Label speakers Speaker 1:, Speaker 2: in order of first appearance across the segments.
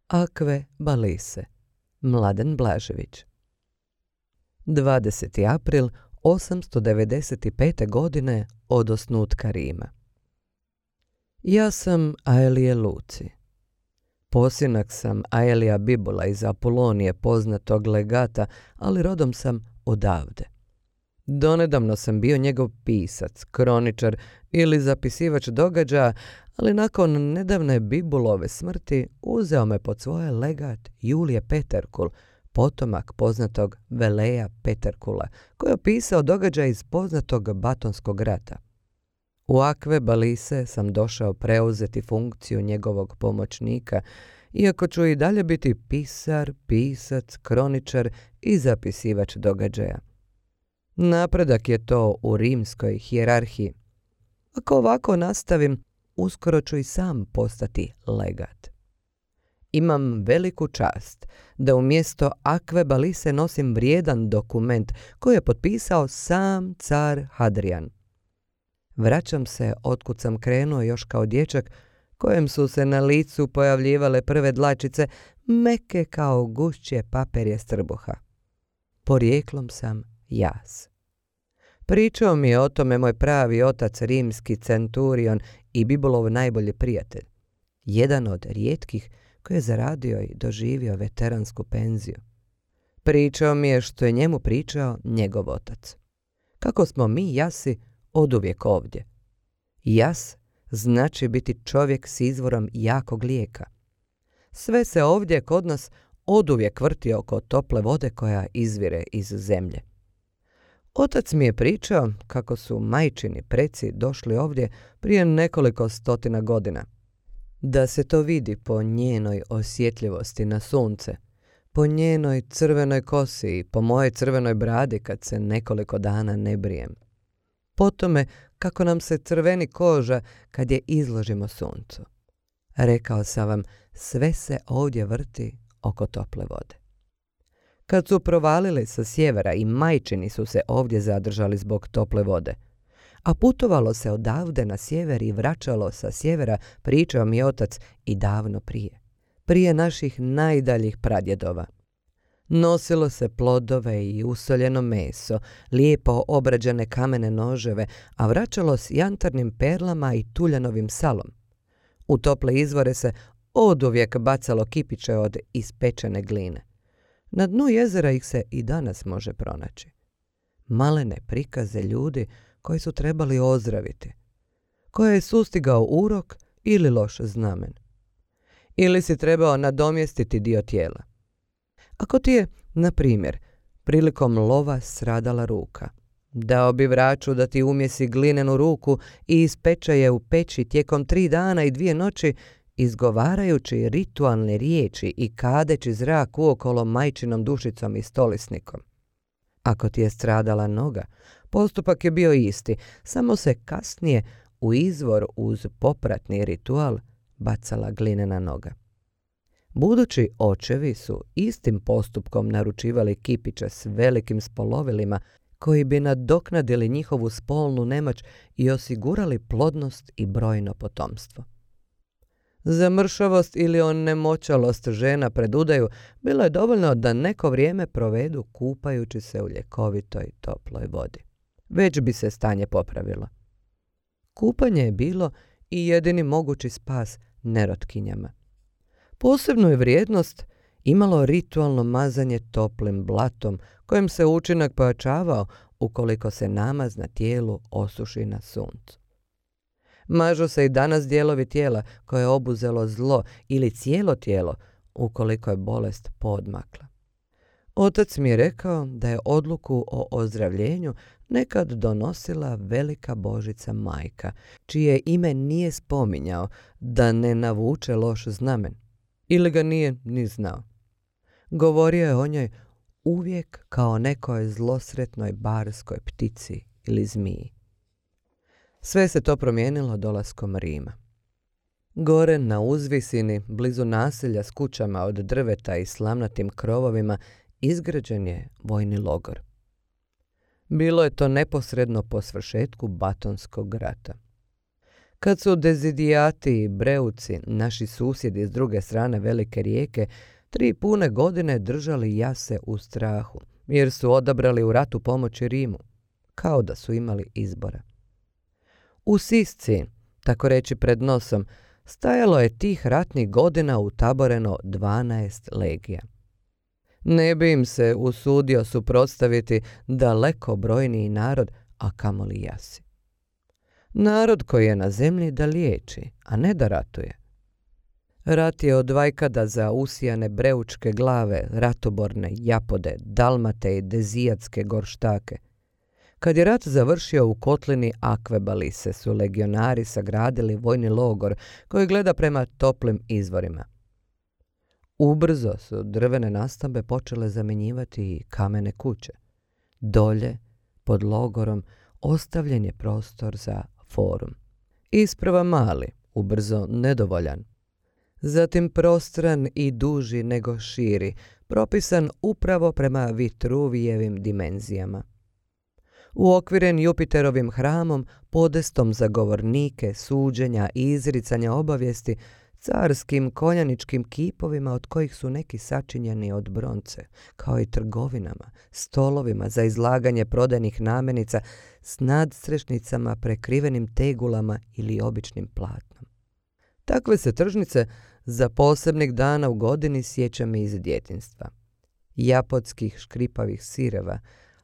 Speaker 1: Akve Balise, Mladen Blažević. 20. april 895. godine od osnutka Rima. Ja sam Aelije Luci. Posinak sam Aelija Bibula iz Apulonije, poznatog legata, ali rodom sam odavde. Donedavno sam bio njegov pisac, kroničar ili zapisivač događaja, ali nakon nedavne Bibulove smrti uzeo me pod svoje legat Julije Peterkul, potomak poznatog Veleja Peterkula, koji je opisao događaj iz poznatog Batonskog rata. U Akve Balise sam došao preuzeti funkciju njegovog pomoćnika, iako ću i dalje biti pisar, pisac, kroničar i zapisivač događaja. Napredak je to u rimskoj hijerarhiji. Ako ovako nastavim, uskoro ću i sam postati legat. Imam veliku čast da umjesto Akve Balise nosim vrijedan dokument koji je potpisao sam car Hadrian. Vraćam se otkud sam krenuo još kao dječak, kojem su se na licu pojavljivale prve dlačice, meke kao gušće paperje strbuha. Porijeklom sam jas. Pričao mi je o tome moj pravi otac, rimski centurion i Bibulov najbolji prijatelj. Jedan od rijetkih koji je zaradio i doživio veteransku penziju. Pričao mi je što je njemu pričao njegov otac. Kako smo mi jasi oduvijek ovdje. Jas znači biti čovjek s izvorom jakog lijeka. Sve se ovdje kod nas oduvijek vrti oko tople vode koja izvire iz zemlje. Otac mi je pričao kako su majčini preci došli ovdje prije nekoliko stotina godina. Da se to vidi po njenoj osjetljivosti na sunce, po njenoj crvenoj kosi i po mojoj crvenoj bradi kad se nekoliko dana ne brijem. Po tome kako nam se crveni koža kad je izložimo suncu. Rekao sam vam, sve se ovdje vrti oko tople vode. Kad su provalili sa sjevera i majčini su se ovdje zadržali zbog tople vode, a putovalo se odavde na sjever i vraćalo sa sjevera, pričao mi otac, i davno prije naših najdaljih pradjedova. Nosilo se plodove i usoljeno meso, lijepo obrađene kamene noževe, a vraćalo s jantarnim perlama i tuljanovim salom. U tople izvore se oduvijek bacalo kipiće od ispečene gline. Na dnu jezera ih se i danas može pronaći. Malene prikaze ljudi koji su trebali ozdraviti, koje je sustigao urok ili loš znamen. Ili si trebao nadomjestiti dio tijela. Ako ti je, na primjer, prilikom lova stradala ruka, dao bi vraču da ti umjesi glinenu ruku i ispeče je u peći tijekom 3 dana i 2 noći, izgovarajući ritualne riječi i kadeći zrak uokolo majčinom dušicom i stolisnikom. Ako ti je stradala noga, postupak je bio isti, samo se kasnije u izvor uz popratni ritual bacala glinena noga. Budući očevi su istim postupkom naručivali kipiće s velikim spolovilima koji bi nadoknadili njihovu spolnu nemoć i osigurali plodnost i brojno potomstvo. Za mršavost ili onemoćalost žena pred udaju bilo je dovoljno da neko vrijeme provedu kupajući se u ljekovitoj toploj vodi. Već bi se stanje popravilo. Kupanje je bilo i jedini mogući spas nerotkinjama. Posebnu je vrijednost imalo ritualno mazanje toplim blatom, kojim se učinak pojačavao ukoliko se namaz na tijelu osuši na suncu. Mažu se i danas dijelovi tijela koje je obuzelo zlo ili cijelo tijelo ukoliko je bolest poodmakla. Otac mi je rekao da je odluku o ozdravljenju nekad donosila velika Božica majka, čije ime nije spominjao da ne navuče loš znamen. Ili ga nije ni znao. Govorio je o njoj uvijek kao nekoj zlosretnoj barskoj ptici ili zmiji. Sve se to promijenilo dolaskom Rima. Gore na uzvisini, blizu naselja s kućama od drveta i slamnatim krovovima, izgrađen je vojni logor. Bilo je to neposredno po svršetku Batonskog rata. Kad su Dezidijati i Breuci, naši susjedi s druge strane velike rijeke, 3 pune godine držali jase u strahu, jer su odabrali u ratu pomoći Rimu, kao da su imali izbora. U Sisci, tako reći pred nosom, stajalo je tih ratnih godina utaboreno 12 legija. Ne bi im se usudio suprotstaviti daleko brojniji narod, a kamoli jasi. Narod koji je na zemlji da liječi, a ne da ratuje. Rat je od vajkada za usijane breučke glave, ratoborne Japode, Dalmate i Dezijatske gorštake. Kad je rat završio u kotlini Akvebalise su legionari sagradili vojni logor koji gleda prema toplim izvorima. Ubrzo su drvene nastambe počele zamjenjivati i kamene kuće. Dolje, pod logorom, ostavljen je prostor za forum. Isprva mali, ubrzo nedovoljan. Zatim prostran i duži nego širi, propisan upravo prema Vitruvijevim dimenzijama. Uokviren Jupiterovim hramom, podestom za govornike, suđenja i izricanja obavijesti, carskim konjaničkim kipovima od kojih su neki sačinjeni od bronce, kao i trgovinama, stolovima za izlaganje prodajnih namirnica s nadstrešnicama prekrivenim tegulama ili običnim platnom. Takve se tržnice za posebnih dana u godini sjećam iz djetinjstva. Japodskih škripavih sireva,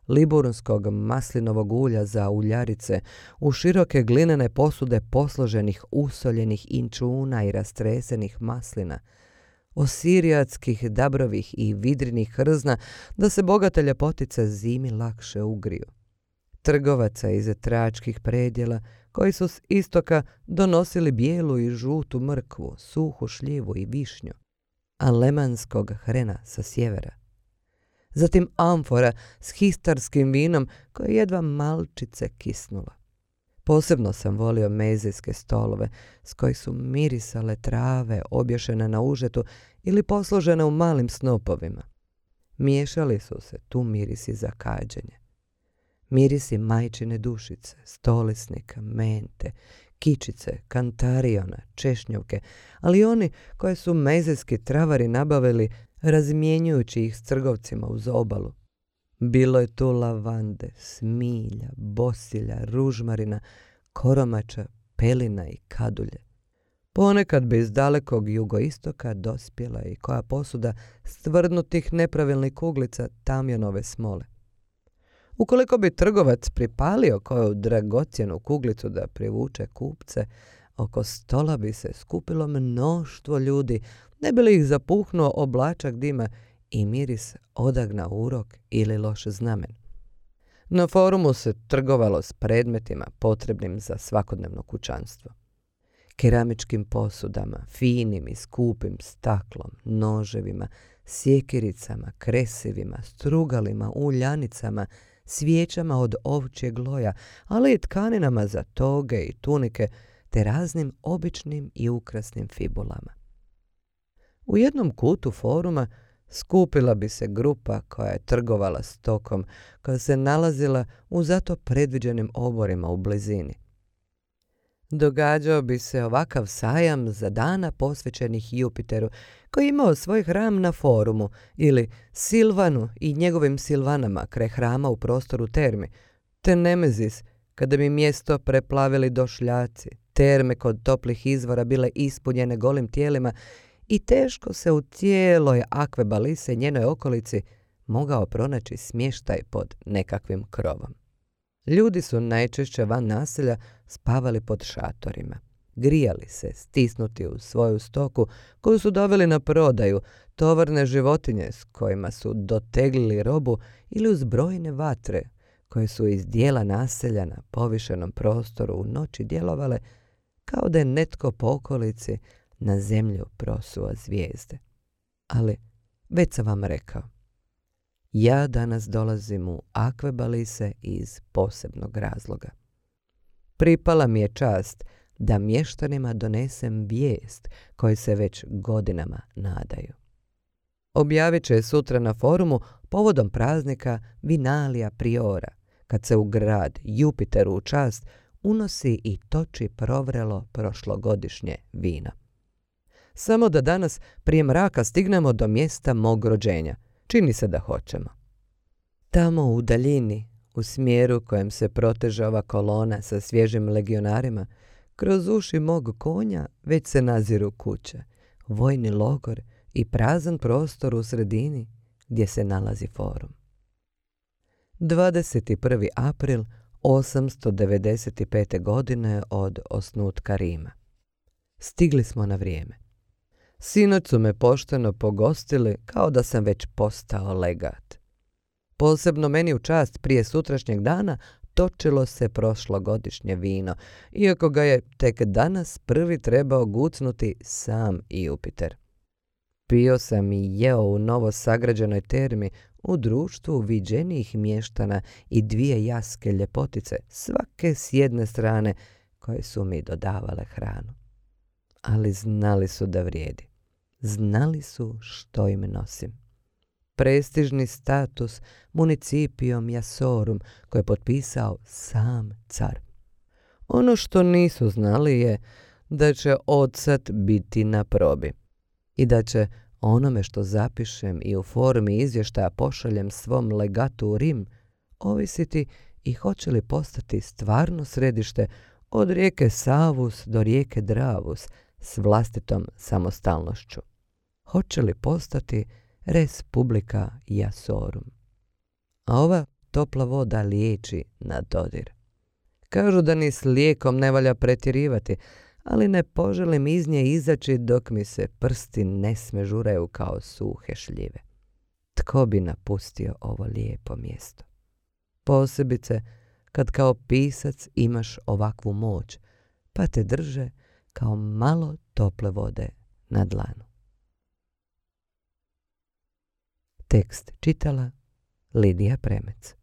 Speaker 1: liburnskog maslinovog ulja za uljarice, u široke glinene posude posloženih usoljenih inčuna i rastresenih maslina, osirijatskih dabrovih i vidrinih hrzna da se bogate ljepotice zimi lakše ugriju. Trgovaca iz tračkih predjela koji su s istoka donosili bijelu i žutu mrkvu, suhu šljivu i višnju, a lemanskog hrena sa sjevera. Zatim amfora s histarskim vinom koje jedva malčice kisnula. Posebno sam volio mezijske stolove s kojih su mirisale trave obješene na užetu ili posložene u malim snopovima. Miješali su se tu mirisi za kađenje. Mirisi majčine dušice, stolisnika, mente, kičice, kantariona, češnjovke, ali oni koje su mezijski travari nabavili razmjenjujući ih s trgovcima uz obalu. Bilo je tu lavande, smilja, bosilja, ružmarina, koromača, pelina i kadulje. Ponekad bi iz dalekog jugoistoka dospjela i koja posuda stvrdnutih nepravilnih kuglica tamjanove smole. Ukoliko bi trgovac pripalio koju dragocjenu kuglicu da privuče kupce, oko stola bi se skupilo mnoštvo ljudi, ne bi li ih zapuhnuo oblačak dima i miris odagna urok ili loš znamen. Na forumu se trgovalo s predmetima potrebnim za svakodnevno kućanstvo. Keramičkim posudama, finim i skupim staklom, noževima, sjekiricama, kresivima, strugalima, uljanicama, svijećama od ovčjeg loja, ali i tkaninama za toge i tunike, te raznim običnim i ukrasnim fibulama. U jednom kutu foruma skupila bi se grupa koja je trgovala stokom, koja se nalazila u zato predviđenim oborima u blizini. Događao bi se ovakav sajam za dana posvećenih Jupiteru, koji je imao svoj hram na forumu, ili Silvanu i njegovim Silvanama kraj hrama u prostoru termi, te Nemezis, kada bi mjesto preplavili došljaci, terme kod toplih izvora bile ispunjene golim tijelima i teško se u cijeloj Akvebalise i njenoj okolici mogao pronaći smještaj pod nekakvim krovom. Ljudi su najčešće van naselja spavali pod šatorima. Grijali se, stisnuti u svoju stoku koju su doveli na prodaju, tovarne životinje s kojima su doteglili robu ili uz brojne vatre koje su iz dijela naselja na povišenom prostoru u noći djelovale kao da je netko po okolici na zemlju prosuo zvijezde. Ali, već sam vam rekao, ja danas dolazim u Akvebalise iz posebnog razloga. Pripala mi je čast da mještanima donesem vijest koju se već godinama nadaju. Objavit će sutra na forumu povodom praznika Vinalija Priora, kad se u grad Jupiteru u čast unosi i toči provrelo prošlogodišnje vino. Samo da danas prije mraka stignemo do mjesta mog rođenja. Čini se da hoćemo. Tamo u daljini, u smjeru kojem se proteže ova kolona sa svježim legionarima, kroz uši mog konja već se naziru kuće, vojni logor i prazan prostor u sredini gdje se nalazi forum. 21. april 895. godine od osnutka Rima. Stigli smo na vrijeme. Sinoć su me pošteno pogostili kao da sam već postao legat. Posebno meni u čast prije sutrašnjeg dana točilo se prošlogodišnje vino, iako ga je tek danas prvi trebao gucnuti sam Jupiter. Pio sam i jeo u novo sagrađenoj termi u društvu viđenijih mještana i 2 jaske ljepotice, svake s jedne strane, koje su mi dodavale hranu. Ali znali su da vrijedi. Znali su što im nosim. Prestižni status municipium Iasorum koje je potpisao sam car. Ono što nisu znali je da će odsad biti na probi i da će onome što zapišem i u formi izvještaja pošaljem svom legatu u Rim ovisiti i hoće li postati stvarno središte od rijeke Savus do rijeke Dravus s vlastitom samostalnošću. Hoće li postati res publica Iasorum. A ova topla voda liječi na dodir. Kažu da ni s lijekom ne valja pretjerivati, ali ne poželim iz nje izaći dok mi se prsti ne smežuraju kao suhe šljive. Tko bi napustio ovo lijepo mjesto? Posebice kad kao pisac imaš ovakvu moć, pa te drže kao malo tople vode na dlanu. Tekst čitala Lidija Premec.